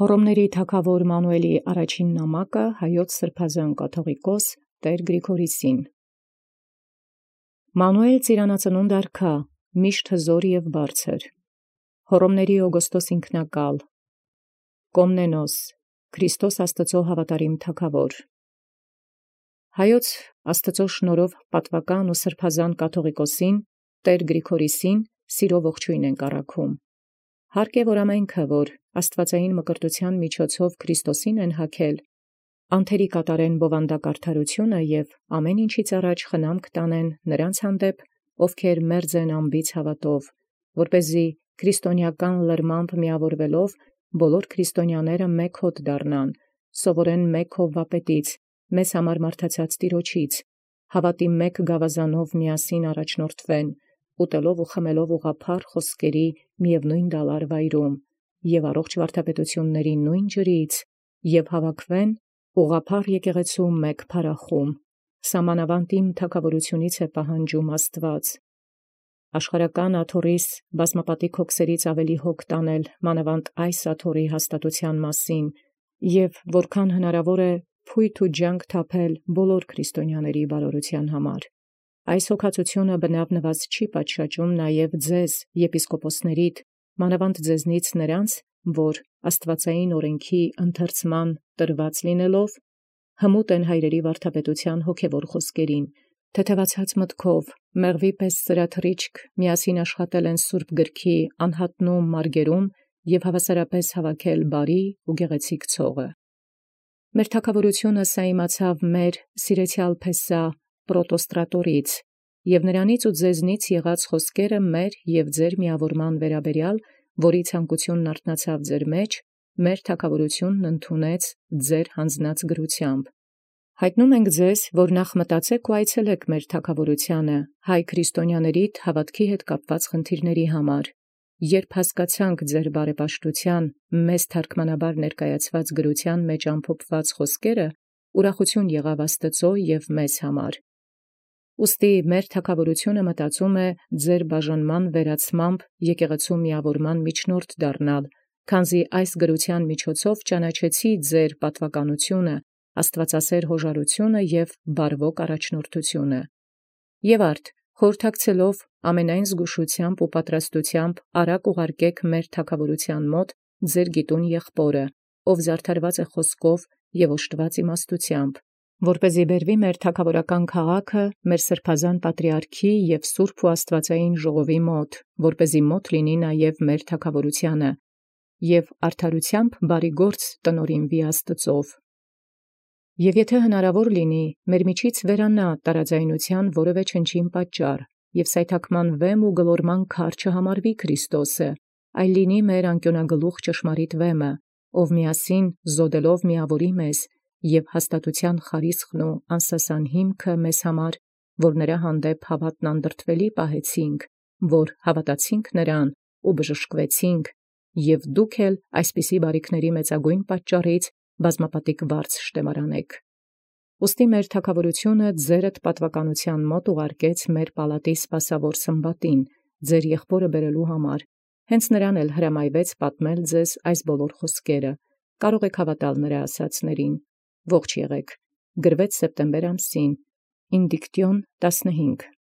Հռոմների թագաւոր Մանուէլի առաջին նամակը հայոց սրբազան կաթողիկոս Տեր Գրիգորիսին։ Մանուէլ ծիրանածնունդ արքա, միշտ հզոր և բարձր, Հռոմների Օգոստոս ինքնակալ, Կոմնենոս, Քրիստոս Աստուծոյ հավատարիմ թագաւոր։ Հայոց Աստուծոյ շնորհով պատուական և սրբազան կաթողիկոսին Տեր Գրիգորիսին սիրով ողջույն ենք առաքում։ Հարկ է, որ ամենքը, որ աստուածային մկրտութեան միջոցով Քրիստոսին են հագել, անթերի կատարեն բովանդակ արդարութիւնը և ամեն ինչից առաջ խնամք տանեն նրանց հանդեպ, ովքեր մերձ են անբիծ հաւատով, որպեսզի քրիստոնեական լրմամբ միավորվելով բոլոր քրիստոնյաները մեկ հոտ դառնան, սովորեն մեկ Հովվապետից, մեզ համար մարդացած Տիրոջից, հաւատի մեկ գաւազանով միասին առաջնորդվեն, ուտելով և խմելով ուղղափառ խոսքերի միևնոյն դալար վայրում, և առողջ վարդապետութիւնների նոյն ջրից, և հավաքվեն ուղղափառ եկեղեցու մեկ փառախումբ. սահմանաւանդ իմ թագաւորութիւնից է պահանջում Աստուած, աշխարհական աթոռիս բազմապատիկ հոգսերից ավելի հոգ տանել մանաւանդ այս աթոռի հաստատութեան մասին, և որքան հնարաւոր է փոյթ և ջանք թափել բոլոր քրիստոնյաների բարօրութեան համար։ Այս հոգածութիւնը բնաւ չի պատշաճում նաև ձեզ, եպիսկոպոսացիդ, մանաւանդ ձեզնից նրանց, որ աստուածային օրենքի ընթերցման տրված լինելով, հմուտ են հայրերի վարդապետութեան հոգևոր խոսքերին, թեթևացած մտքով, մեղվի պես ծրաթռիչք միասին աշխատել են սուրբ գրքի անհատնում մարգերում և հավասարապես հավաքել բարի և գեղեցիկ ցողը։ Մեր թագաւորութիւնը սա իմացաւ մեր սիրեցեալ Փեսահ պրոտոստրատորից, և նրանից ու ձեզնից եղած խոսքերը մեր և ձեր միավորման վերաբերյալ, որի ցանկութիւնն արթնացաւ ձեր մեջ, մեր թագաւորութիւնն ընդունեց ձեր յանձնած գրութեամբ։ Յայտնում ենք ձեզ, որ նախ մտածեք և այցելեք մեր թագաւորութեանը հայ քրիստոնյաներիդ հաւատոց հետ կապված խնդիրացն համար, երբ հասկացանք ձեր բարեպաշտութեան մեզ թարգմանաբար ներկայացված գրութեան մեջ ամփոփված խոսքերը, ուրախութիւն եղաւ Աստուծոյ և մեզ համար։ Ուստի մեր թագաւորութիւնը մտածում է ձեր բաժանման վերացմամբ եկեղեցու միավորման միջնորդ դառնալ, քանզի այս գրութեան միջոցով ճանաչեցի ձեր պատուականութիւնը, աստուածասէր յոժարութիւնը և բարվոք առաջնորդութիւնը։ Եւ արդ, խորհրդակցելով ամենայն զգուշութեամբ և պատրաստութեամբ արագ ուղարկեք մեր թագաւորութեան մոտ ձեր գիտուն եղբօրը, ով զարդարված է խոսքով և օժտված իմաստութեամբ, որպեսզի բերվի մեր թագաւորական քաղաքը մեր սրբազան պատրիարքի և սուրբ և աստուածային ժողովոյն մոտ, որպեսզի մոտ լինի նաև մեր թագաւորութեանը, և արդարութեամբ բարեգործ տնօրինուի Աստուծոյ։ Եւ եթէ հնարաւոր լինի, մեր միջից վերանայ տարաձայնութեան որևէ չնչին պատճառ, և սայթաքման վեմ և գլորման քար չհամարվի Քրիստոսը, այլ լինի մեր անկիոնագլուխ ճշմարիտ վեմը, ով միասին զօդելով միաւորի մեզ, և հաստատութեան խարիսխն և անսասան հիմքը մեզ համար, որ նրա հանդեպ հաւատն անդրդվելի պահեցինք, որ հաւատացինք նրան և բժշկվեցինք, և դուք էլ այսպիսի բարիքների մեծագոյն պատճառից բազմապատիկ վարձ շտեմարանէք։ Ուստի մեր թագաւորութիւնը ձերդ պատուականութեան մոտ ուղարկեց մեր պալատի սպասաւոր Սմբատին, ձեր եղբօրը բերելոյ համար, հենց նրան էլ հրամայեալ պատմել ձեզ այս բոլոր խոսքերը, կարող եք հաւատալ նրա ասացելոցն։ Ողջ եղեք։ Գրվեց սեպտեմբեր ամսին, Ինդիկտիոն 15։